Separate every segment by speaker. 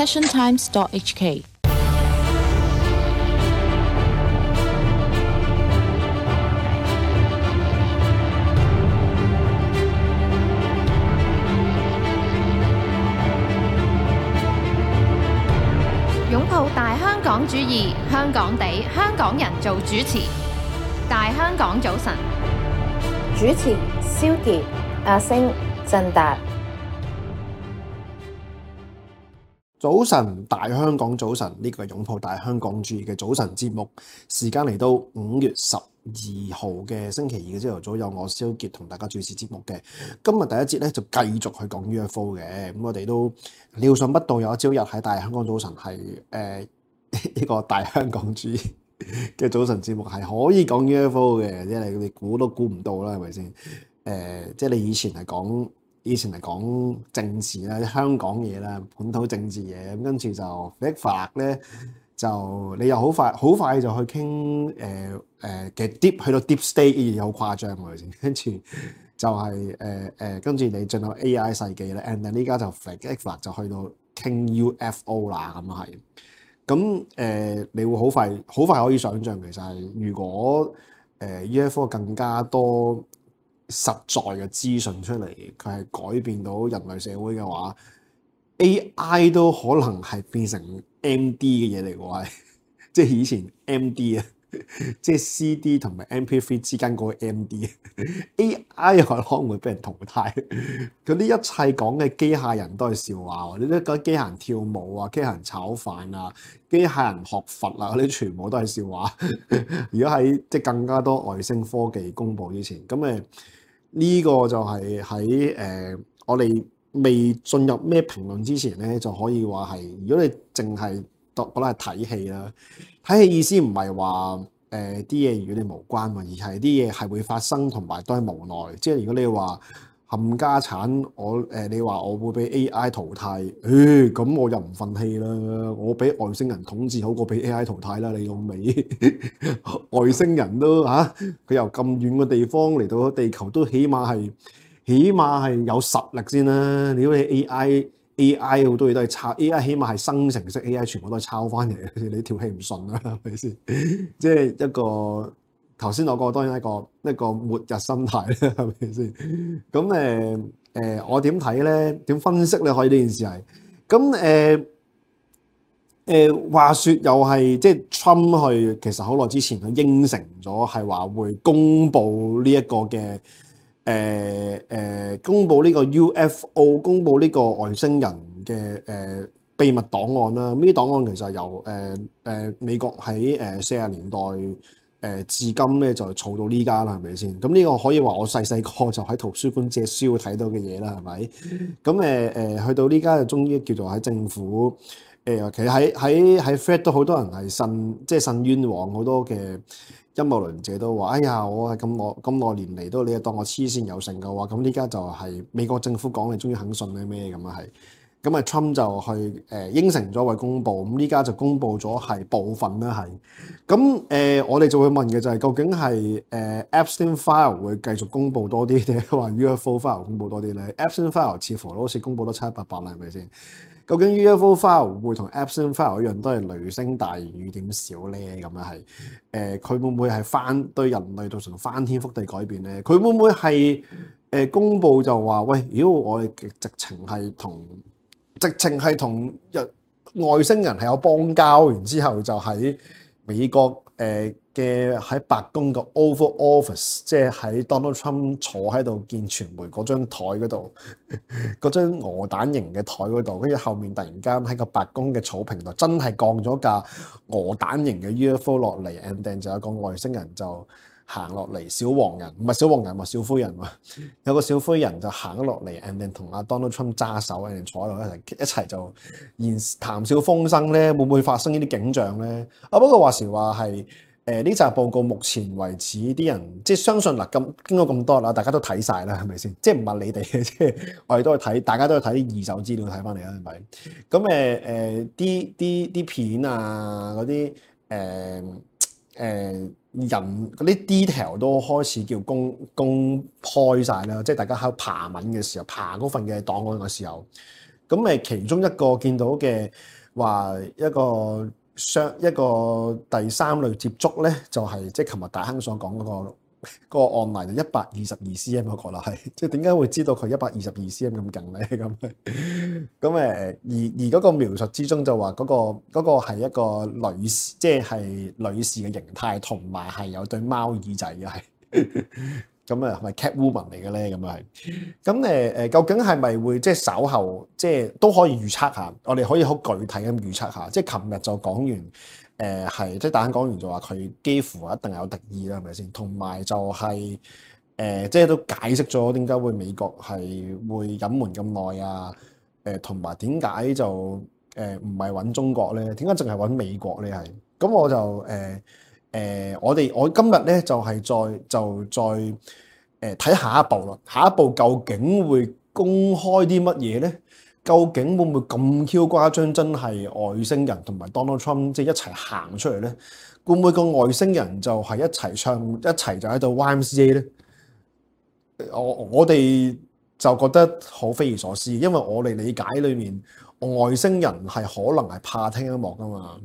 Speaker 1: passiontimes.hk。
Speaker 2: 擁抱大香港主義，香港地，香港人做主持。大香港早晨，
Speaker 3: 主持蕭傑、阿星、振達。
Speaker 4: 早晨，大香港早晨，呢個係擁抱大香港主義嘅早晨節目，時間嚟到5月12號嘅星期二嘅朝頭早，有我蕭傑同大家主持節目嘅。今日第一節咧就繼續去講 UFO 嘅，咁我哋都料想不到有一朝日喺大香港早晨係呢個大香港主義嘅早晨節目係可以講 UFO 嘅，即係你估都估唔到啦，係咪先？即係你以前係講政治啦、香港嘢啦、本土政治嘢，咁跟住就一發咧，就你又好快就去傾嘅 deep 去到 deep state 嘅嘢好誇張喎，先跟住就係跟住你進入 AI 世紀咧，and then 呢家就一發就去到傾 UFO 啦，咁係。咁你會好快可以想像，其實係如果UFO 更加多實在嘅資訊出嚟，佢係改變到人類社會嘅話 ，AI 都可能係變成 MD 嘅嘢嚟嘅喎，即係以前 MD 啊，即係 CD 同埋 MP3 之間嗰個 MD。AI 可能會俾人淘汰，嗰啲一切講嘅機械人都係笑話喎，你都覺得機械人跳舞啊、機械人炒飯啊、機械人學佛啊嗰啲全部都係笑話。如果喺即係更加多外星科技公佈之前，咁呢個就係喺我哋未進入咩評論之前咧，就可以話係，如果你淨係覺得係睇戲啦，睇戲意思唔係話啲嘢與你無關嘛，而係啲嘢係會發生同埋都係無奈。即係如果你話冚家產，你話我會俾 AI 淘汰，咁我又唔憤氣啦，我俾外星人統治好過俾 AI 淘汰啦，你老味。外星人都佢由咁遠嘅地方嚟到地球，都起碼係有實力先啦。如果你 AI 好多嘢都係抄 AI，起碼係生成式 AI，全部都係抄翻嚟嘅。你條氣唔順啦，係咪先？即係一個頭先我講，當然一個末日心態咧，係咪先？咁我點睇咧？點分析咧？可以呢件事係咁話說又係即係 Trump 去，其實好耐之前佢應承咗係話會公佈呢一個嘅公佈呢個 UFO， 公佈呢個外星人嘅秘密檔案啦。呢啲檔案其實由美國喺40年代至今咧就儲到呢家啦，係咪先？咁呢個可以話我細個就喺圖書館借書睇到嘅嘢啦，係咪？咁去到呢家就終於叫做喺政府。其實喺 Fed 都好多人係信冤枉，好多嘅陰謀論者都話：哎呀，我係咁耐年嚟都你當我黐線有成嘅話，咁呢家就係美國政府講你終於肯信咩咁啊係。咁Trump 就去應承咗為公佈，咁呢家就公佈咗係部分啦係。咁我哋就會問嘅就係究竟係Epstein File 會繼續公佈多啲定係話 UFO File 公佈多啲咧？Epstein File 似乎好似公佈得七七八八啦，係咪先？究竟 UFO File 會同 Epstein File 一樣都係雷聲大雨點小咧？咁樣係佢會唔會係對人類造成翻天覆地改變咧？佢會唔會係公佈就話喂，如果我哋直情係同外星人係有邦交，然之後就喺美國嘅喺白宮嘅 Oval Office， 即係喺 Donald Trump 坐喺度見傳媒嗰張台嗰度，嗰張鵝蛋型嘅台嗰度，跟住後面突然間喺個白宮嘅草坪度，真係降咗架鵝蛋型嘅 UFO 落嚟 ，and then 就有個外星人就行落嚟，小黃人唔係小黃人喎，小灰人喎，有個小灰人就行咗落嚟 and then 同阿 Donald Trump 揸手 and then 坐喺度一齊就談笑風生咧，會唔會發生呢啲景象咧？不過話時話係。呢集報告目前為止啲人即係相信嗱，經過咁多啦，大家都睇晒啦，係咪先？即係唔係你哋嘅，即係我哋都去睇，大家都去睇啲二手資料睇翻嚟啦，係咪？咁啲片啊，嗰啲人嗰啲 detail 都開始叫公開晒啦，即係大家喺度爬文嘅時候，爬嗰份嘅檔案嘅時候。咁其中一個見到嘅話一個第三類接觸咧，就係即係琴日大亨所講嗰個案例就122cm 嗰個啦，係即係點解會知道佢122cm 咁勁咧？咁而嗰個描述之中就話嗰個係一個女士，即係女士嘅形態，同埋係有對貓耳仔嘅係。咁係咪 Catwoman 嚟嘅咧？咁咁究竟係咪會即係稍後即係都可以預測下？我哋可以好具體咁預測下。即係琴日就講完，係即係大家講完就話佢幾乎一定有敵意啦，係咪先？同埋就係即係都解釋咗點解會美國係會隱瞞咁耐啊？同埋點解就唔係揾中國咧？點解淨係揾美國咧？係咁我就我今日咧就係再睇下一步啦。下一步究竟會公開啲乜嘢咧？究竟會唔會咁 Q 誇張？真係外星人同埋 Donald Trump 即係一齊行出嚟咧？會唔會個外星人就係一齊唱一齊就喺度 YMCA 咧？我哋就覺得好匪夷所思，因為我哋理解裏面外星人係可能係怕聽音樂噶嘛。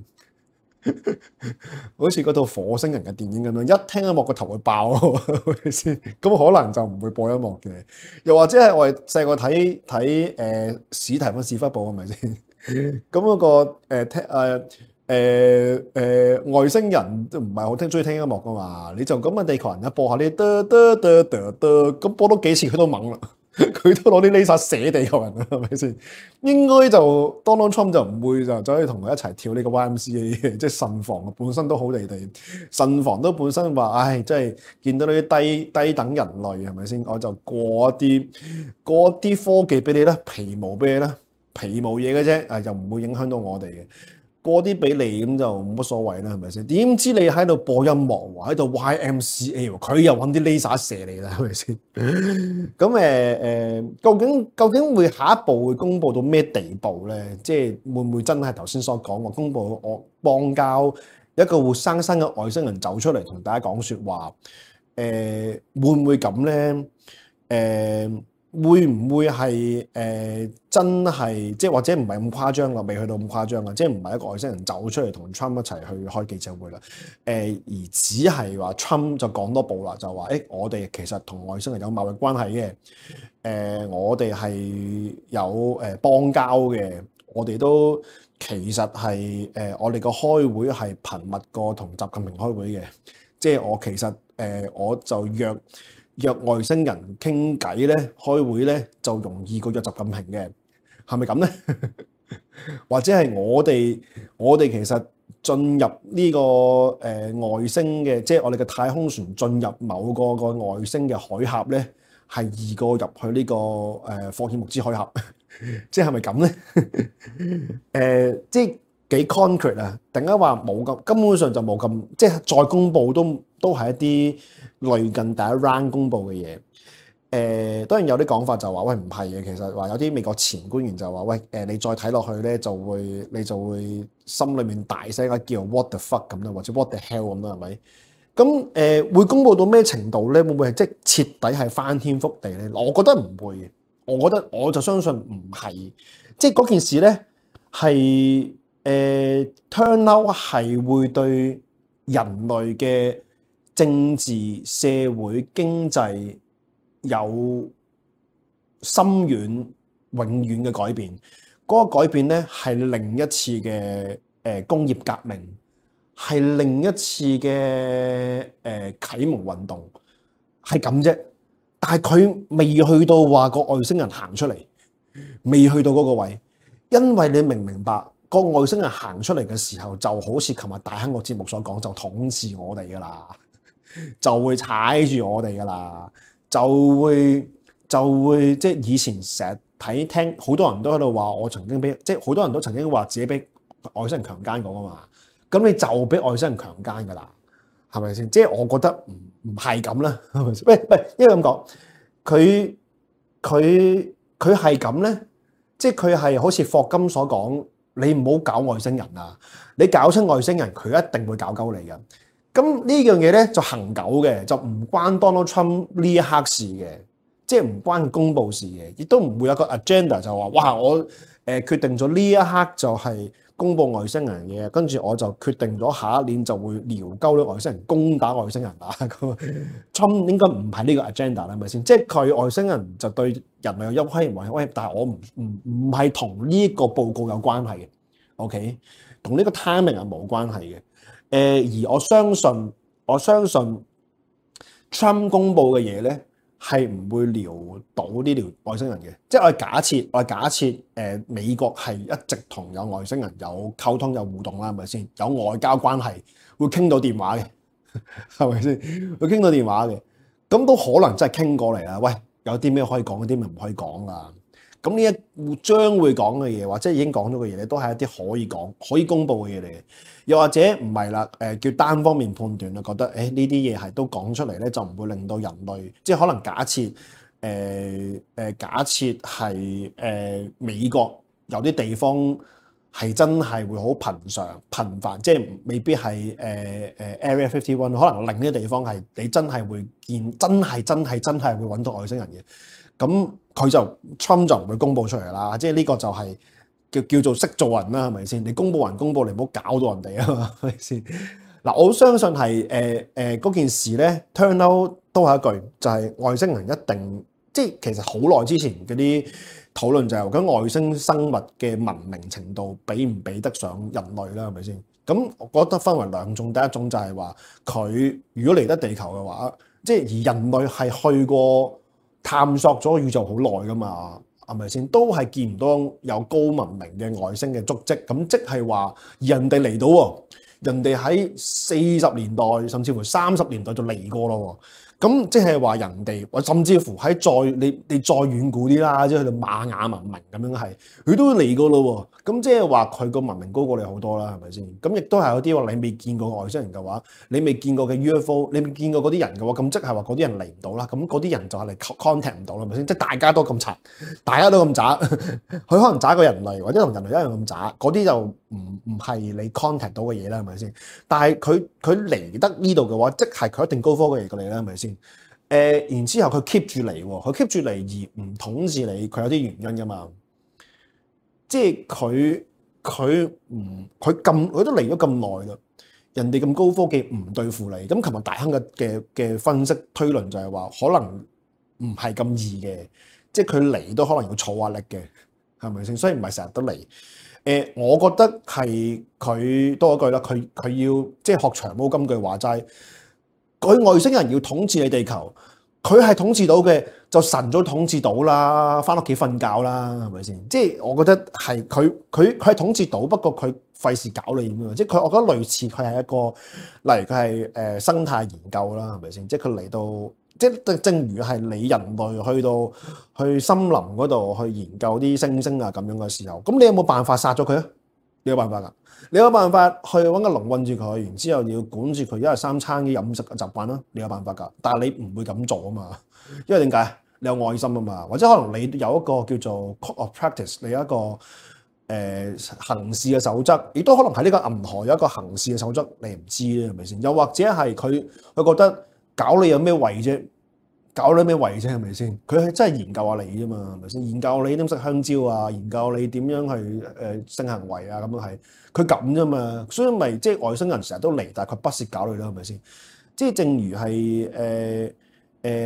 Speaker 4: 好似嗰套火星人嘅電影咁樣，一聽音樂個頭會爆，係咪先？咁可能就唔會播音樂嘅。又或者係我哋細個睇史提芬史匹堡係咪先？咁嗰個外星人都唔係好中意聽音樂噶嘛？你就咁嘅地球人一播下呢，咁播多幾次佢都懵啦。佢都攞啲 laser 射地球人啦，係咪先？應該就 Donald Trump 就唔會就走去同佢一齊跳呢個 YMCA 嘅，即係慎防本身都好地地，慎防都本身話，唉，即係見到呢啲低等人類係咪先？我就過一啲科技俾你啦，皮毛俾你啦，皮毛嘢嘅啫，又唔會影響到我哋嘅。過啲俾你咁就冇乜所謂啦，係咪先？點知你喺度播音樂喎，喺度 YMCA 喎，佢又揾啲 laser 射你啦，係咪先？咁究竟會下一步會公佈到咩地步咧？即係會唔會真係頭先所講話公佈我邦交一個活生生嘅外星人走出嚟同大家講説話？會唔會咁咧？會唔會係真係即係或者唔係咁誇張啦？未去到咁誇張啦，即係唔係一個外星人走出嚟同 Trump 一齊去開記者會啦？而只係話 Trump 就講多步啦，就話我哋其實同外星人有貿易關係嘅，我哋係有邦交嘅，我哋都其實係我哋個開會係頻密過同習近平開會嘅，即係我其實我就約外星人傾偈咧，開會咧就容易過約習近平嘅，係咪咁咧？或者係我哋其實進入呢個外星嘅，即係我哋嘅太空船進入某個外星嘅海峽咧，係易過入去呢個霍爾木茲海峽，即係咪咁咧？即係幾 concrete 啊？突然間話冇咁，根本上就冇咁，即係再公佈都係一啲類近第一 round 公佈嘅嘢。當然有啲講法就話喂，唔係嘅，其實話有啲美國前官員就話喂，你再睇落去咧你就會心裏面大聲叫 what the fuck 咁啦，或者 what the hell 咁啦，係咪？咁會公佈到咩程度咧？會唔會係即係徹底係翻天覆地咧？我覺得唔會，我就相信唔係，即係嗰件事咧係turn out 係會對人類嘅政治、社會、經濟有深遠、永遠嘅改變。嗰個改變咧係另一次嘅工業革命，係另一次嘅啟蒙運動，係咁啫。但係佢未去到話個外星人行出嚟，未去到嗰個位，因為你明唔明白？個外星人行出嚟嘅時候，就好似琴日大亨個節目所講，就統治我哋噶啦，就會踩住我哋噶啦，就會即係以前成日聽好多人都喺度話，我曾經即係好多人都曾經話自己俾外星人強姦過啊嘛，咁你就俾外星人強姦噶啦，係咪先？即係我覺得唔係咁啦，係咪先？喂，因為咁講，佢係咁咧，即係佢係好似霍金所講。你唔好搞外星人啊！你搞親外星人，佢一定會搞鳩你嘅。咁呢樣嘢咧就恆久嘅，就唔關 Donald Trump 呢一刻事嘅，即係唔關佢公佈事嘅，亦都唔會有個 agenda 就話哇我決定咗呢一刻就係公佈外星人嘅，跟住我就決定咗下一年就會撩鳩啲外星人攻打外星人啊！咁Trump 應該唔係呢個 agenda 啦，係咪先？即係佢外星人就對人類有威脅，但係我唔係同呢個報告有關係嘅。OK， 同呢個 timing 係冇關係嘅。而我相信 Trump 公佈嘅嘢咧係唔會撩到呢條外星人嘅。即係我係假設美國係一直同有外星人有溝通有互動啦，係咪先？有外交關係會傾到電話嘅，係咪先？會傾到電話嘅，咁都可能真係傾過嚟啦。喂，有啲咩可以講，有啲咩唔可以講㗎。咁呢一將會講嘅嘢，或者已經講咗嘅嘢咧，都係一啲可以講、可以公佈嘅嘢嚟嘅。又或者唔係啦，叫單方面判斷啦，覺得呢啲嘢係都講出嚟咧，就唔會令到人類，即係可能假設係美國有啲地方係真係會好頻繁，即係未必係Area 51，可能另一啲地方係你真係會見，真係會揾到外星人嘅。咁佢就 Trump 就唔會公佈出嚟啦，即係呢個就係叫做識做人啦，係咪先？你公佈人公佈，你唔好搞到人哋啊嘛，係咪先？嗱，我相信係嗰件事咧 turn out 都係一句，就係外星人一定，即係其實好耐之前嗰啲討論就係咁外星生物嘅文明程度比唔比得上人類啦，係咪先？咁我覺得分為兩種，第一種就係話佢如果嚟得地球嘅話，即係而人類係去過探索咗宇宙好耐噶嘛，係咪先？都係見唔到有高文明嘅外星嘅足跡，咁即係話人哋嚟到喎，人哋喺40年代甚至乎30年代就嚟過咯喎。咁即係話人哋，或甚至乎喺你再遠古啲啦，即係去到瑪雅文明咁樣係，佢都嚟過咯喎。咁即係話佢個文明高過你好多啦，係咪先？咁亦都係有啲話你未見過外星人嘅話，你未見過嘅 UFO， 你未見過嗰啲人嘅話，咁即係話嗰啲人嚟唔到啦。咁嗰啲人就係嚟 contact 唔到啦，係咪先？即係大家都咁殘，大家都咁渣，佢可能渣過人類，或者同人類一樣咁渣，嗰啲就唔係你 contact 到嘅嘢啦，係咪先？但係佢嚟得呢度嘅話，即係佢一定高科技嚟過嚟啦，係咪先？然之後佢 keep 住嚟喎，佢 keep 住嚟而唔統治你，佢有啲原因㗎嘛。即係佢都嚟咗咁耐啦，人哋咁高科技唔對付你。咁琴日大亨嘅分析推論就係話，可能唔係咁易嘅，即係佢嚟都可能要儲壓力嘅，係咪先？所以唔係成日都嚟。我覺得係佢多一句啦，佢要即係學長毛金句話齋，佢外星人要統治你地球，佢係統治到嘅，就神早統治到啦，翻屋企瞓覺啦，係咪先？即係我覺得係佢係統治到，不過佢費事搞你咁樣。即係我覺得類似佢係一個，例如佢係生態研究啦，係咪先？即係佢嚟到，即係正如係你人類去森林嗰度去研究啲猩猩啊咁樣嘅時候，咁你有冇辦法殺咗佢啊？你有辦法㗎？你有辦法去揾個籠困住佢，然之後你要管住佢一日三餐嘅飲食嘅習慣啦。你有辦法㗎，但係你唔會咁做啊嘛。因為點解？你有愛心啊嘛，或者可能你有一個叫做 code of practice， 你有一個行事嘅守則，亦都可能喺呢個銀河有一個行事嘅守則，你唔知咧，係咪先？又或者係佢覺得搞你有咩為啫？搞你咩為啫？係咪先？佢係真係研究下你啫嘛，係咪先？研究你點食香蕉啊，研究你點樣去性行為啊，咁樣係佢咁啫嘛。所以咪即係外星人成日都嚟，但係佢不屑搞你啦，係咪先？即係正如係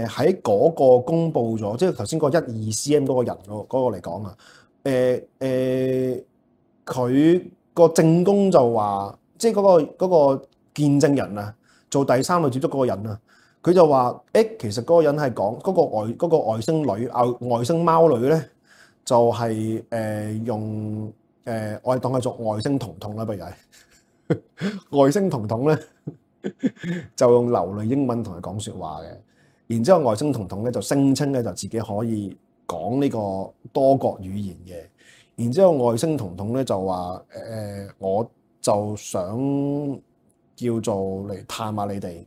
Speaker 4: 喺嗰個公佈咗，即係頭先嗰12 cm 嗰個人嗰個嚟講啊，佢個證供就話，即係嗰個見證人啊，做第三類接觸嗰個人啊。佢就話：其實嗰個人係講嗰個外星女外星貓女咧，就係用我哋當佢做外星彤彤啦，不如係外星彤彤咧，就用流利英文同佢講説話嘅。然之後外星彤彤咧就聲稱咧就自己可以講呢個多國語言嘅。然之後外星彤彤咧就話：我就想叫做嚟探下你哋。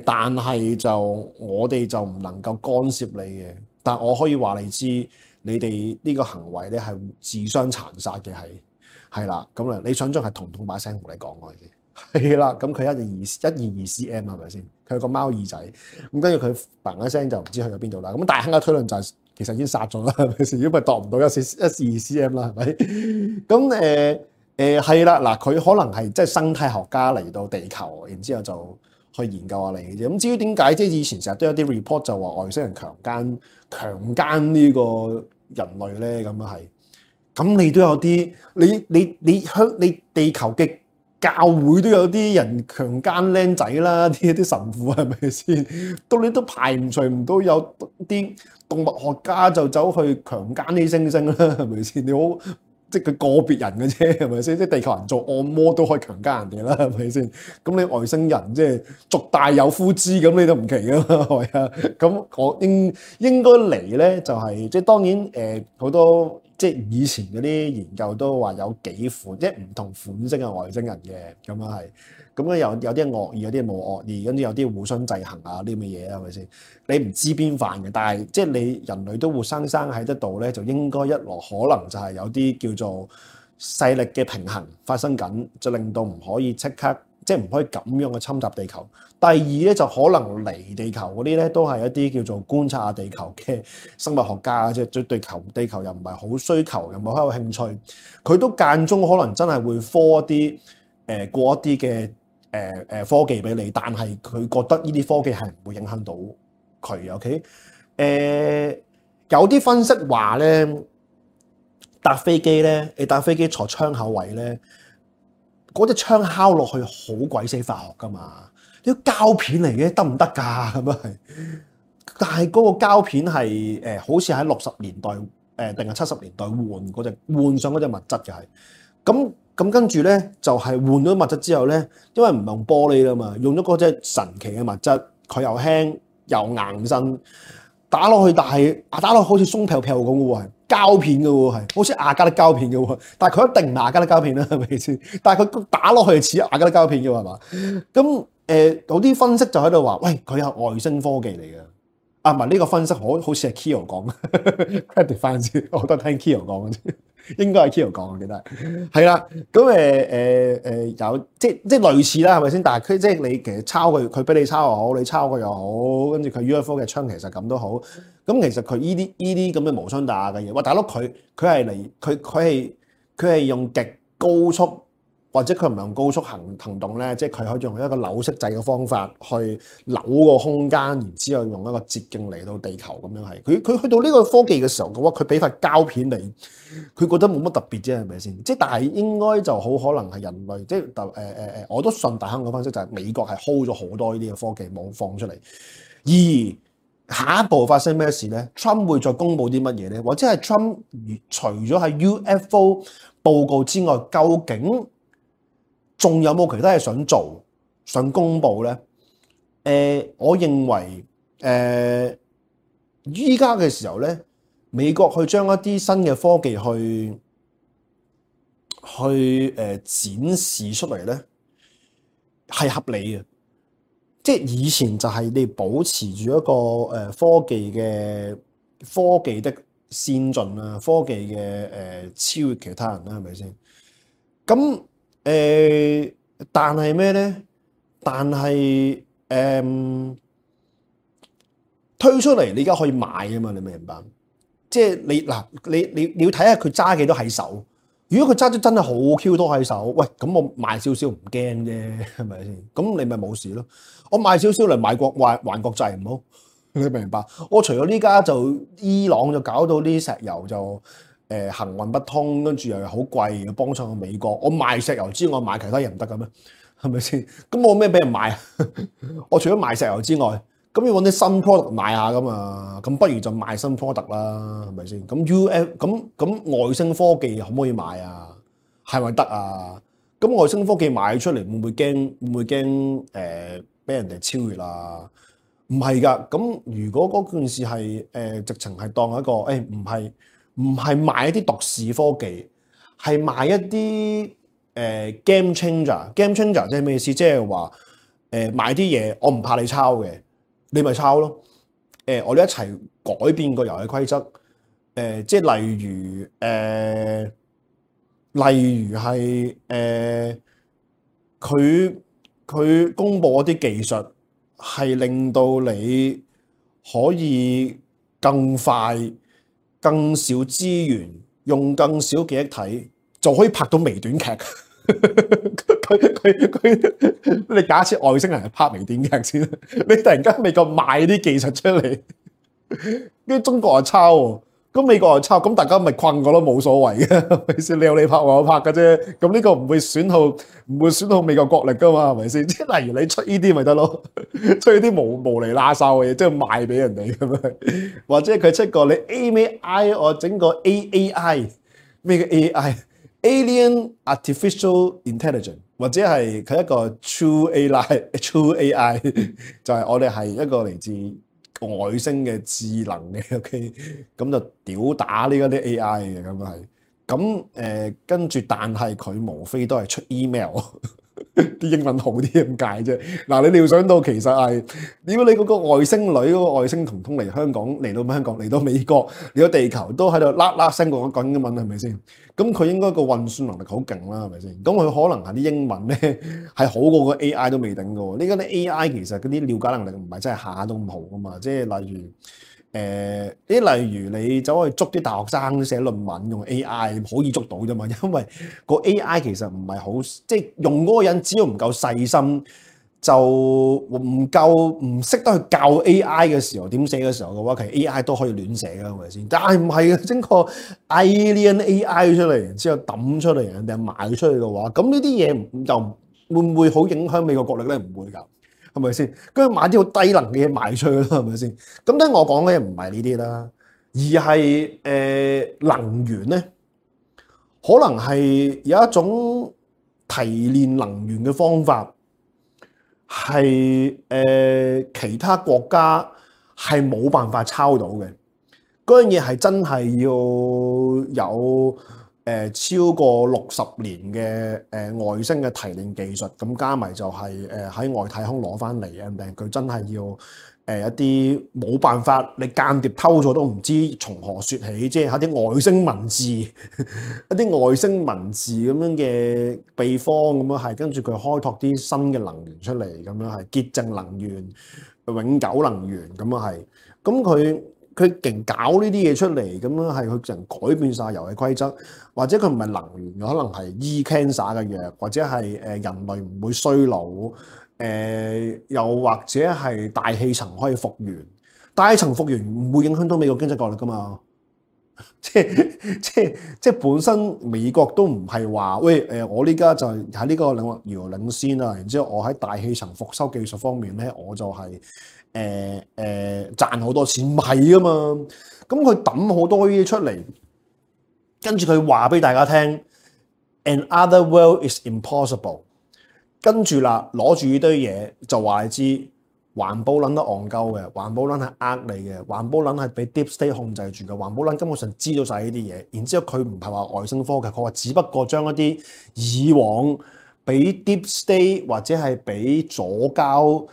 Speaker 4: 但係就我哋就唔能夠干涉你嘅，但我可以話你知，你哋呢個行為咧係自相殘殺嘅，係啦，咁啊，你想象係彤彤把聲同你講我嘅，係啦，咁佢122 cm 係咪先？佢有個貓耳仔，咁跟住佢嘭一聲就唔知去咗邊度啦。咁大亨嘅推論就係其實已經殺咗啦，係咪先？如果咪度唔到一至二 cm 啦，係咪？咁係啦，嗱，佢可能係即係生態學家嚟到地球，然之後就去研究下你嘅啫。咁至於點解即係以前成日都有啲 report 就話外星人強姦呢個人類咧，咁啊係。咁你都有啲，你地球嘅教會都有啲人強姦僆仔啦，啲神父係咪先？到你都排除唔到有啲動物學家就走去強姦啲猩猩啦，係咪先？你好，即係佢個別人嘅啫，係咪先？即係地球人做按摩都可以強姦人哋啦，係咪先？咁你外星人即係族大有夫之，咁你都唔奇噶嘛，係咪啊？咁我應該嚟咧，就係即係當然好多。即係以前嗰啲研究都話有幾款，即係唔同款式嘅外星人嘅，咁樣係，咁咧有啲惡意，有啲冇惡意，跟住有啲互相制衡啊啲咁嘅嘢係咪先？你唔知邊範嘅，但係即係你人類都活生生喺得度咧，就應該一來可能就係有啲叫做勢力嘅平衡發生緊，就令到唔可以即刻即係唔可以咁樣去侵襲地球。第二咧就可能嚟地球嗰啲咧都係一啲叫做觀察下地球嘅生物學家，即係對地球又唔係好需求，又冇好有興趣，佢都間中可能真係會科一啲過一啲嘅科技俾你，但係佢覺得呢啲科技係唔會影響到佢。OK，有啲分析話咧搭飛機咧，你搭飛機坐窗口位咧，嗰隻窗敲落去好鬼死化學噶嘛。啲膠片嚟嘅得唔得㗎？咁啊係，但係嗰個膠片係好似喺60年代定係70年代換上嗰隻物質嘅係，咁跟住咧就係換咗物質之後咧，因為唔用玻璃啦嘛，用咗嗰隻神奇嘅物質，佢又輕又硬身，打落去但係打落去好似鬆飄飄咁嘅喎，係膠片嘅喎，係好似亞加力膠片嘅喎，但係佢一定唔係亞加力膠片啦，係咪先？但係佢打落去似亞加力膠片嘅喎，係嘛？咁有啲分析就喺度話，喂，佢係外星科技嚟嘅。啊，唔係呢個分析好似係 Kyo 講，credit 翻先，我都聽 Kyo 講嘅啫，應該係 Kyo 講，我記得係啦。咁有即係類似啦，係咪先？但係佢即係你其實抄佢俾你抄又好，你抄佢又好，跟住佢 UFO 嘅槍其實咁都好。咁其實佢呢啲咁嘅無傷大雅嘅嘢，喂大佬佢係嚟佢係用極高速。或者佢唔係用高速行動咧，即係佢可以用一個扭骰制嘅方法去扭個空間，然之後用一個捷徑嚟到地球咁樣係。佢去到呢個科技嘅時候嘅話，佢俾塊膠片你，佢覺得冇乜特別啫，係咪先？即係但係應該就好可能係人類，即係我都信大香港分析就係美國係 hold 咗好多呢啲嘅科技冇放出嚟。而下一步發生咩事咧 ？Trump 會再公佈啲乜嘢咧？或者係 Trump 除咗係 UFO 報告之外，究竟仲有冇其他嘢想做、想公佈咧？我認為依家嘅時候咧，美國去將一啲新嘅科技去展示出嚟咧，係合理嘅。即係以前就係你保持住一個科技的先進啊，科技嘅超越其他人啦，係咪先？咁但係咩咧？但係推出嚟，你而家可以買啊嘛？你明唔明白？即係你要睇下佢揸幾多喺手。如果佢揸咗真係好 Q 多喺手，喂，咁我賣少少唔驚啫，係咪先？咁你咪冇事咯。我賣少少嚟買還國債唔好？你明唔明白？我除咗呢家就伊朗就搞到啲石油就行運不通，跟住又好貴，要幫襯美國。我賣石油之外，賣其他嘢唔得嘅咩？係咪先？咁我咩俾人賣啊？我除咗賣石油之外，咁要揾啲新 product 賣下噶嘛？咁不如就賣新 product 啦，係咪先？咁外星科技可唔可以買啊？係咪得啊？咁外星科技賣出嚟會唔會驚？會唔會驚俾人哋超越啊？唔係㗎。咁如果嗰件事係直情係當一個唔係賣一啲獨市科技，係賣一啲game changer。game changer 即係咩意思？即係話賣啲嘢，我唔怕你抄嘅。你咪抄咯，我哋一齊改變個遊戲規則，即係例如係佢公佈一啲技術，係令到你可以更快更少資源，用更少記憶體，就可以拍到微短劇。你假設外星人係拍微短劇先，你突然間美國賣啲技術出嚟，跟住中國又抄喎，咁美國又抄，咁大家咪困過咯，冇所謂嘅，係咪先？你有你拍，我有拍嘅啫，咁呢個唔會損耗美國國力噶嘛，係咪先？即係例如你出呢啲咪得咯，出呢啲無厘拉哨嘅嘢，即係賣俾人哋咁樣，或者佢出個你 AI 我整個 AAI 咩嘅 AI？Alien Artificial Intelligence， 或者係佢一個 True AI， 就係我哋係一個嚟自外星嘅智能嘅 ，OK， 咁就屌打呢啲 AI 嘅咁係，咁跟住，但係佢無非都係出 email。啲英文好啲咁解啫。嗱，你料想到其實係，如果你嗰個外星女嗰個外星童通嚟香港，嚟到美國，嚟到地球都喺度啦啦聲講英文，係咪先？咁佢應該個運算能力好勁啦，係咪先？咁佢可能係啲英文咧係好過個 AI 都未定嘅喎。呢個啲 AI 其實嗰啲了解能力唔係真係下下都咁好噶嘛。即係例如你走去捉啲大學生寫論文用 AI 可以捉到啫嘛，因為個 AI 其實唔係好，即係用嗰個人只要唔夠細心，就唔識得去教 AI 嘅時候點寫嘅時候嘅話，其實 AI 都可以亂寫㗎，係咪先？但係唔係嘅，整個 Alien AI 出嚟，然之後抌出嚟，人哋賣出去嘅話，咁呢啲嘢就會唔會好影響美國國力咧？唔會㗎。係咪先？跟住買啲好低能嘅嘢賣出去啦，係咪先？咁咧，我講嘅唔係呢啲啦，而係能源咧，可能係有一種提煉能源嘅方法，係其他國家係冇辦法抄到嘅。嗰樣嘢係真係要有超過60年嘅外星嘅提煉技術，咁加埋就係喺外太空攞翻嚟嘅，佢真係要一啲冇辦法，你間諜偷咗都唔知從何說起，即係一啲外星文字，一啲外星文字咁樣嘅秘方咁樣係，跟住佢開拓啲新嘅能源出嚟，咁樣係潔淨能源、永久能源咁樣係，咁佢勁搞呢啲嘢出嚟，咁樣係佢人改變晒遊戲規則，或者佢唔係能源，可能係醫 cancer 嘅藥，或者係人類唔會衰老，又或者係大氣層可以復原，大氣層復原唔會影響到美國經濟國力噶嘛？即本身美國都唔係話喂我呢家就喺呢個領域遙領先啦，然之後我喺大氣層復修技術方面咧，我就係賺好多錢，唔係噶嘛。咁佢抌好多呢啲出嚟，跟住佢話俾大家聽 ，another world is impossible。跟住啦，攞住呢堆嘢就話你知，環保撚得戇鳩嘅，環保撚係呃你嘅，環保撚係俾 deep state 控制住嘅，環保撚根本上知道晒呢啲嘢。然之後佢唔係話外星科技，佢話只不過將一啲以往俾 deep state 或者係俾左膠。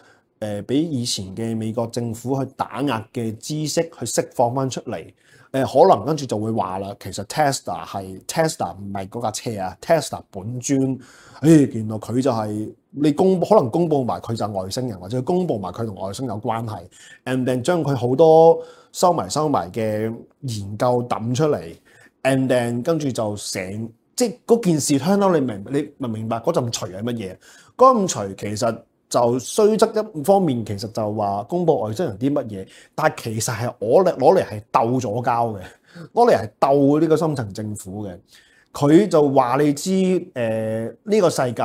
Speaker 4: 俾以前嘅美國政府去打壓嘅知識去釋放翻出嚟，可能跟住就會話啦，其實 Tesla 唔係嗰架車啊 ，Tesla 本尊，原來佢就係你可能公佈埋佢就係外星人，或者公佈埋佢同外星有關係 ，and then 將佢好多收埋嘅研究抌出嚟 ，and then 跟住就即係嗰件事聽到你明唔明白嗰陣除係乜嘢？嗰陣除其實。就雖則一方面，其實就話公佈外星人啲乜嘢，但係其實係攞嚟係鬥咗交嘅，攞嚟係鬥呢個深層政府嘅。佢就話你知呢個世界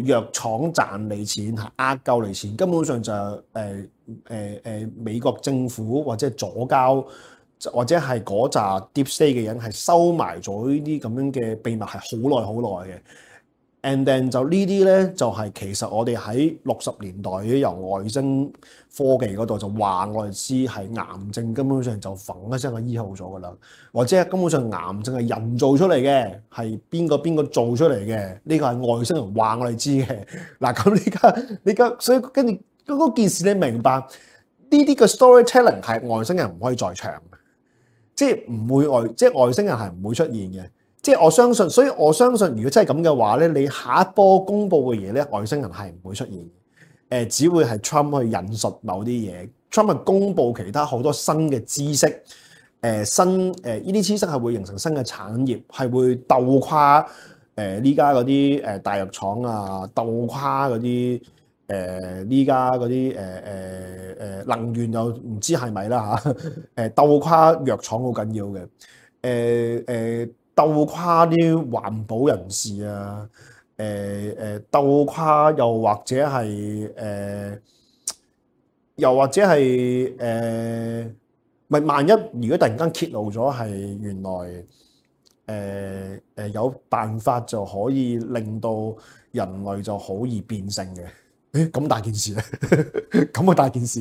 Speaker 4: 藥廠賺你錢係呃夠你錢，根本上就美國政府或者左膠或者係嗰扎 deep state 嘅人係收埋咗呢啲咁樣嘅秘密係好耐嘅。And then 就呢啲咧，就係其實我哋喺60年代由外星科技嗰度就話我哋知係癌症根本上就揈一聲就醫好咗噶啦，或者根本上癌症係人做出嚟嘅，係邊個做出嚟嘅？呢個係外星人話我哋知嘅。嗱咁呢家所以跟住嗰件事你明白呢啲嘅 storytelling 係外星人唔可以在場，即係唔會外星人係唔會出現嘅。即係我相信，所以我相信，如果真係咁嘅話咧，你下一波公佈嘅嘢咧，外星人係唔會出現，只會係 Trump 去引述某啲嘢，Trump 去公佈其他好多新嘅知識，呢啲知識係會形成新嘅產業，係會鬥跨呢家嗰啲大藥廠啊，鬥跨嗰啲呢家嗰啲能源又唔知係咪啦嚇，鬥跨藥廠好緊要嘅，鬥跨啲環保人士啊，鬥跨又或者係咪萬一如果突然間揭露咗係原來有辦法就可以令到人類就好易變性嘅，咁大件事咧，咁啊大件事，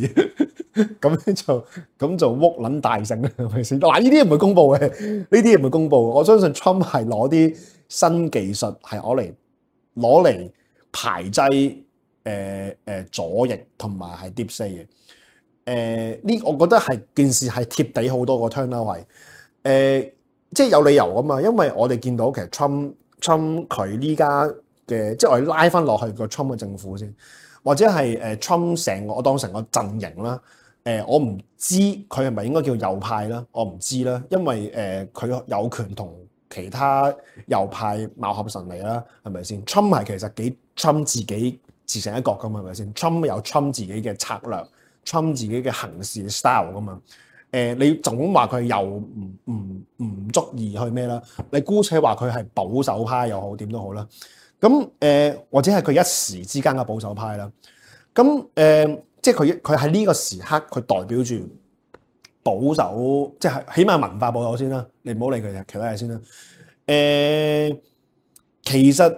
Speaker 4: 咁就屋撚大性啦，係咪先？嗱，呢啲唔會公佈嘅，呢啲唔會公佈。我相信 Trump 係攞啲新技術係攞嚟排擠左翼同埋係 Deep State 嘅。呢，我覺得係件事係貼地好多個 turnout 係即係有理由噶嘛，因為我哋見到其實 Trump 佢呢家嘅，即係我哋拉翻落去個 Trump 嘅政府先，或者係Trump 我當成個陣營啦。我唔知佢係咪應該叫右派啦，我唔知啦，因為佢有權同其他右派貌合神離啦，係咪先 ？Trump 係其實幾 Trump 自己自成一國噶嘛，係咪先 ？Trump 有 Trump 自己嘅策略。Trump 自己嘅行事 style 噶嘛，你總話佢又唔足以去咩啦？你姑且話佢係保守派又好，點都好啦。咁或者係佢一時之間嘅保守派啦。咁即係佢喺呢個時刻，佢代表住保守，即係起碼文化保守先啦。你唔好理佢其他嘢先啦。其實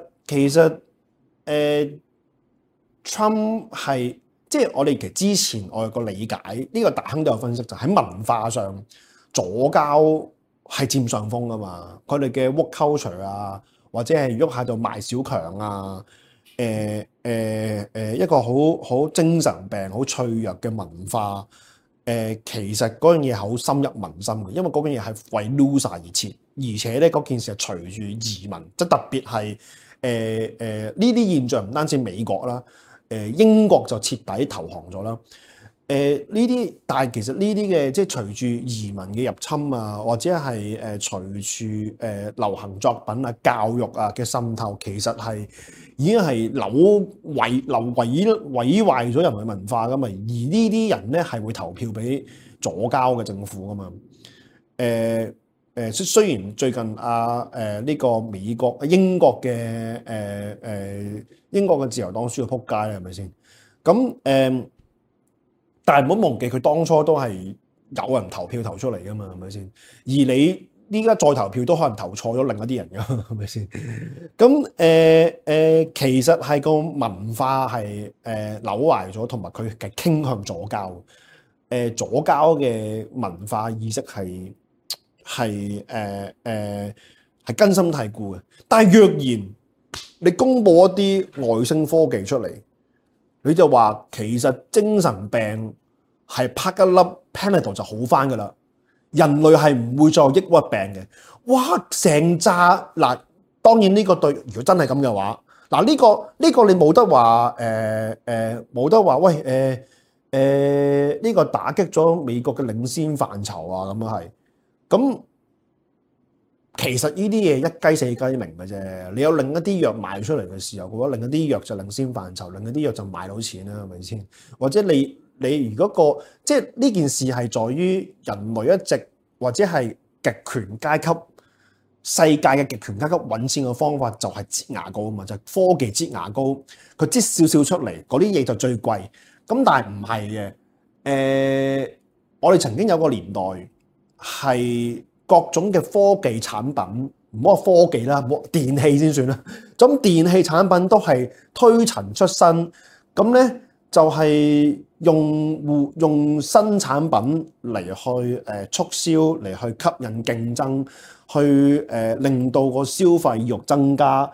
Speaker 4: Trump 係。即係我哋其實之前我有個理解，呢個大亨都有分析，就喺文化上左膠係佔上風噶嘛。佢哋嘅 woke culture 啊，或者係喐下就賣小強啊，一個好精神病、好脆弱嘅文化。其實嗰樣嘢係好深入民心嘅，因為嗰樣嘢係為 loser 而設，而且咧嗰件事係隨住移民，即係特別係呢啲現象唔單止美國啦。英國就徹底投降咗啦。但係其實呢啲嘅即係隨住移民嘅入侵啊，或者係隨住流行作品啊、教育啊嘅滲透，其實係已經係毀壞咗人類文化噶嘛。而呢啲人咧係會投票俾左膠嘅政府噶嘛。雖然最近呢個英國嘅自由黨輸到撲街啦，係咪先？咁但係唔好忘記佢當初都係有人投票投出嚟噶嘛，係咪先？而你依家再投票都可能投錯咗另一啲人噶，係咪先？咁其實係個文化係扭壞咗，同埋佢係傾向左膠。左膠嘅文化意識係根深蒂固嘅，但係若然你公布一啲外星科技出嚟，你就話其實精神病係拍一粒 Panadol 就好翻噶啦，人類係唔會再有抑鬱病嘅。哇！成扎嗱，當然呢個對，如果真係咁嘅話，嗱呢個你冇得話冇得話喂呢個打擊咗美國嘅領先範疇啊，咁樣係。咁其實呢啲嘢一雞四雞鳴嘅啫。你有另一啲藥賣出嚟嘅時候，我覺得另一啲藥就領先範疇，另一啲藥就賣到錢啦，係咪先？或者你如果即係呢件事係在於人類一直或者係極權階級世界嘅極權階級揾錢嘅方法就係擠牙膏啊嘛，就係科技擠牙膏，佢擠少少出嚟，嗰啲嘢就最貴。咁但係唔係嘅，我哋曾經有個年代。係各種嘅科技產品，唔好話科技啦，電器先算啦。咁電器產品都係推陳出新，咁咧就係用新產品嚟去促銷，嚟去吸引競爭，去令到個消費慾增加。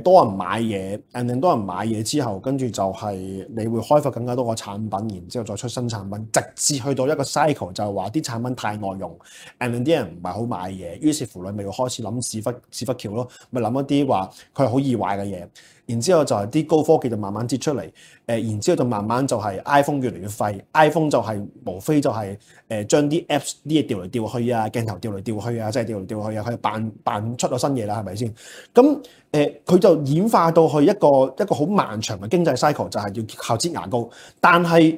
Speaker 4: 多人買嘢 and then 多人買嘢之後，跟住就係你會開發更加多個產品，然之後再出新產品，直至去到一個 cycle 就係話啲產品太耐用 and then 啲人唔係好買嘢，於是乎你咪要開始諗屎忽橋咯，咪諗一啲話佢係好易壞嘅嘢，然之後就係啲高科技就慢慢擠出嚟，然之後就慢慢就係 iPhone 越嚟越廢 ，iPhone 就係無非就係將啲 apps 啲嘢調嚟調去啊，鏡頭調嚟調去啊，即係調嚟調去啊，佢扮出咗新嘢啦，係咪先？咁佢就演化到去一個好漫長嘅經濟 cycle， 就係要靠擠牙膏。但係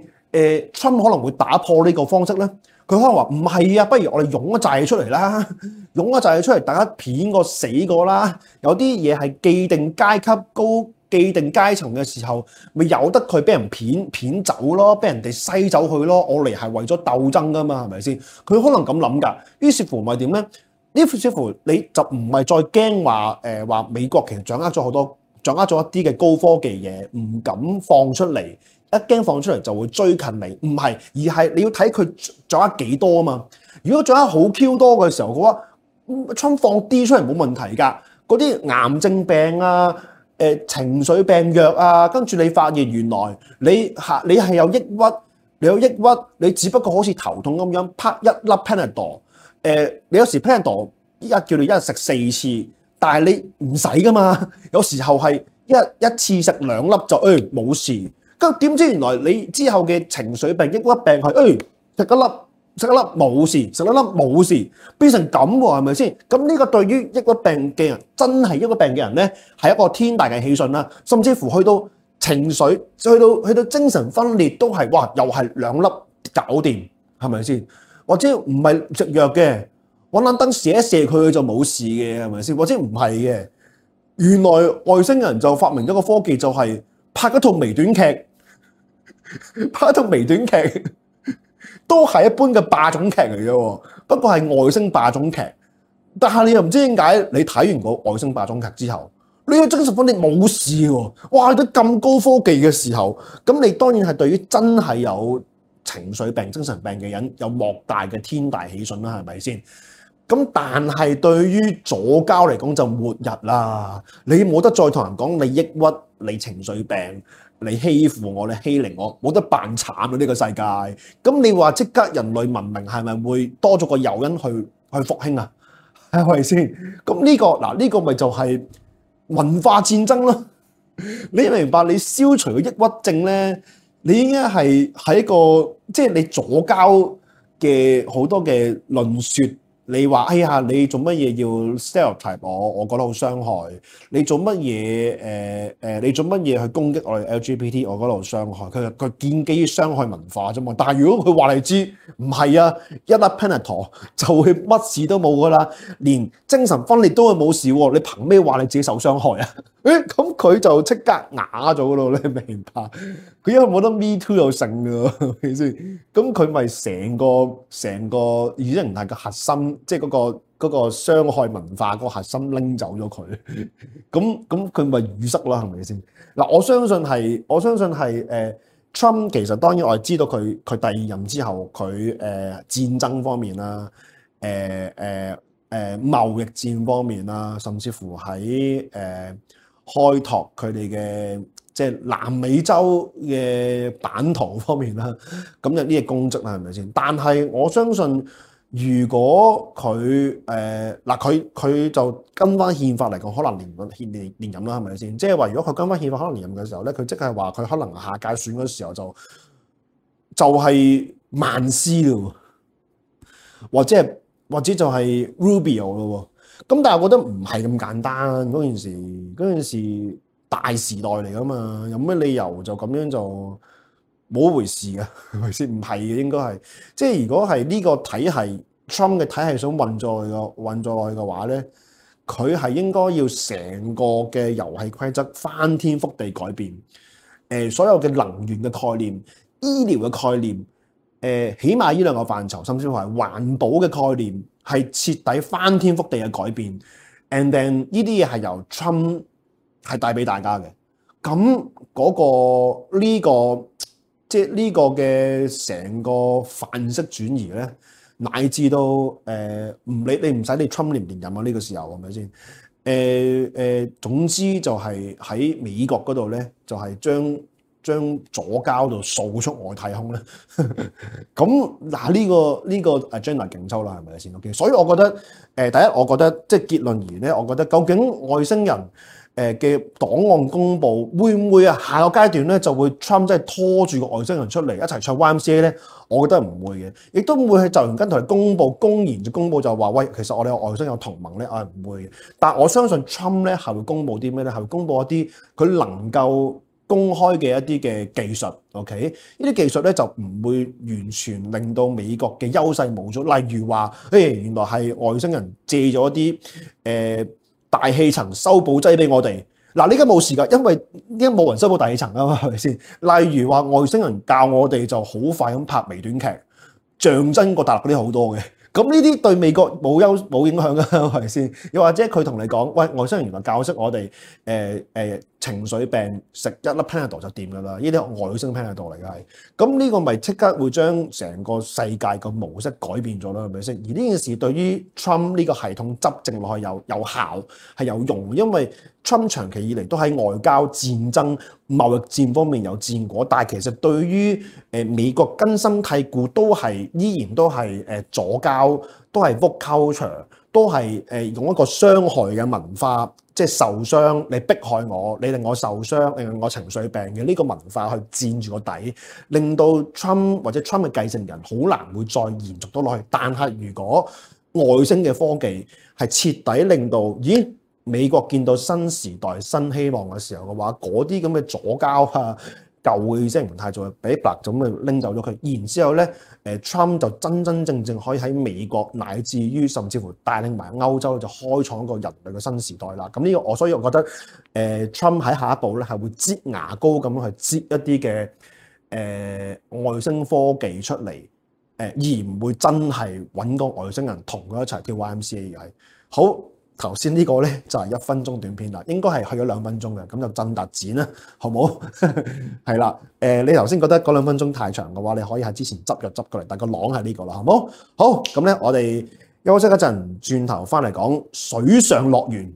Speaker 4: Trump 可能會打破呢個方式咧，佢可能話唔係啊，不如我哋湧一紮嘢出嚟啦，湧一紮嘢出嚟，大家片過死過啦。有啲嘢係既定階級高、既定階層嘅時候，咪由得佢俾人片走咯，俾人哋篩走佢咯。我嚟係為咗鬥爭噶嘛，係咪先？佢可能咁諗㗎。於是乎咪點咧？呢似乎你就唔係再驚話美國其實掌握咗一啲嘅高科技嘢，唔敢放出嚟，一驚放出嚟就會追近你，唔係，而係你要睇佢掌握幾多啊嘛。如果掌握好 Q 多嘅時候嘅話，Trump放啲出嚟冇問題㗎。嗰啲癌症病啊、情緒病藥啊，跟住你發現原來你係有抑鬱，你只不過好似頭痛咁樣，啪一粒 Panadol。你有時 Panadol 依家叫你一日食4次，但係你唔使噶嘛。有時候係一次食2粒就冇事，咁點知原來你之後嘅情緒病、抑鬱病係食一粒冇事，食2粒冇事，變成咁喎，係咪先？咁呢個對於抑鬱病嘅人，真係抑鬱病嘅人咧，係一個天大嘅喜訊啦。甚至乎去到情緒，去到精神分裂都係哇，又係2粒搞掂，係咪先？或者唔係食藥嘅，揾盞燈射一射佢就冇事嘅，係咪先？或者唔係嘅，原來外星人就發明咗個科技，就係拍一套微短劇，都係一般嘅霸總劇嚟啫。不過係外星霸總劇，但係你又唔知點解，你睇完個外星霸總劇之後，你嘅精神分裂冇事喎。哇！你咁高科技嘅時候，咁你當然係對於真係有情緒病、精神病嘅人有莫大嘅天大喜訊啦，係咪先？咁但係對於左膠嚟講就末日啦，你冇得再同人講你抑鬱、你情緒病、你欺負我、你欺凌我，冇得扮慘啊！呢個世界，咁你話即刻人類文明係咪會多咗個誘因去復興啊？係咪先？咁呢個咪就係文化戰爭咯。你明白？你消除個抑鬱症咧？你應該係喺一個即係你左膠嘅好多嘅論説，你話哎呀，你做乜嘢要 stereotype 我覺得好傷害。你做乜嘢你做乜嘢去攻擊我哋 LGBT， 我覺得好傷害。佢建基於傷害文化啫嘛。但係如果佢話你知唔係啊，一粒 Panadol 就會乜事都冇噶啦，連精神分裂都會冇事喎。你憑咩話你自己受傷害啊？咁佢就即刻啞咗咯，你明白？佢因為冇得 Me Too 又成㗎，係咪先？咁佢咪成個意識形態嘅核心，即係嗰個傷害文化個核心拎走咗佢，咁佢咪淤塞啦，係咪先？嗱，我相信係Trump 其實當然我係知道佢第二任之後佢戰爭方面啦，貿易戰方面啦，甚至乎喺開拓佢哋嘅即係南美洲嘅版圖方面啦，咁有呢啲功績啦，係咪先？但係我相信，如果佢佢就跟翻憲法嚟講，可能連任啦，係咪先？即係話，如果佢跟翻憲法可能連任嘅時候咧，佢即係話佢可能下屆選嗰時候就係曼斯咯，或者就係 Rubio 咯。咁但係我覺得唔係咁簡單，嗰件事大時代嚟噶嘛，有咩理由就咁樣就冇一回事嘅，係咪先？唔係嘅，應該係即係如果係呢個體系 Trump 嘅體系想運作落去嘅話咧，佢係應該要成個嘅遊戲規則翻天覆地改變，所有嘅能源嘅概念、醫療嘅概念，起碼呢兩個範疇，甚至乎係環保嘅概念，係徹底翻天覆地嘅改變。And then 呢啲嘢係由 Trump 係帶俾大家嘅。咁呢個即係呢個嘅成個範式轉移咧，乃至到你唔使你 Trump 連唔連任啊？呢個時候係咪先？總之就係喺美國嗰度咧，就係將左膠度掃出外太空咧。咁嗱呢個 agenda 勁抽啦，係咪先 ？OK， 所以我覺得第一，我覺得即係結論而言咧，我覺得究竟外星人嘅檔案公佈會唔會下個階段咧就會 Trump 即係拖住個外星人出嚟一齊唱 YMCA 咧？我覺得唔會嘅，亦都唔會係就完跟同佢公佈，公然就公佈就話喂，其實我哋有外星有同盟咧，我係唔會嘅。但我相信 Trump 咧係會公佈啲咩咧？係會公佈一啲佢能夠公開嘅一啲嘅技術 ，OK？ 呢啲技術咧就唔會完全令到美國嘅優勢冇咗。例如話，原來係外星人借咗一啲大氣層修補劑俾我哋。嗱，呢家冇事㗎，因為依家冇人修補大氣層啊嘛，係咪先？例如話外星人教我哋就好快咁拍微短劇，象徵過大陸嗰啲好多嘅。咁呢啲對美國冇影響㗎，係咪先？又或者佢同你講，喂，外星人原來教識我哋情緒病食一粒 Panadol 就掂㗎啦，呢啲外星 Panadol 嚟嘅係。咁呢個咪即刻會將成個世界個模式改變咗啦，係咪先？而呢件事對於 Trump 呢個系統執政落去有效係有用，因為 Trump 長期以嚟都喺外交戰爭、貿易戰方面有戰果，但係其實對於美國根深蒂固依然都係左膠，都係 woke culture，都係用一個傷害嘅文化，即係受傷，你迫害我，你令我受傷，令我情緒病嘅呢個文化去佔住個底，令到 Trump 或者 Trump 嘅繼承人好難會再延續到落去。但係如果外星嘅科技係徹底令到，美國見到新時代新希望嘅時候嘅話，嗰啲咁嘅左膠啊、舊嘅意識形態就俾白咁咪拎走咗佢，然之後咧Trump 就真正可以喺美國乃至於甚至乎帶領埋歐洲就開創一個人類嘅新時代啦。咁呢個所以我覺得Trump 喺下一步咧係會擠牙膏咁樣去擠一啲嘅外星科技出嚟，而唔會真係揾個外星人同佢一齊跳 YMCA 嘅係好。頭先呢個咧就係1分鐘短片啦，應該係去咗2分鐘嘅，咁就震達剪啦，好唔好？係啦，你頭先覺得嗰2分鐘太長嘅話，你可以喺之前執過嚟，但個廊係呢個啦，好唔好？好，咁咧我哋休息一陣，轉頭翻嚟講水上樂園。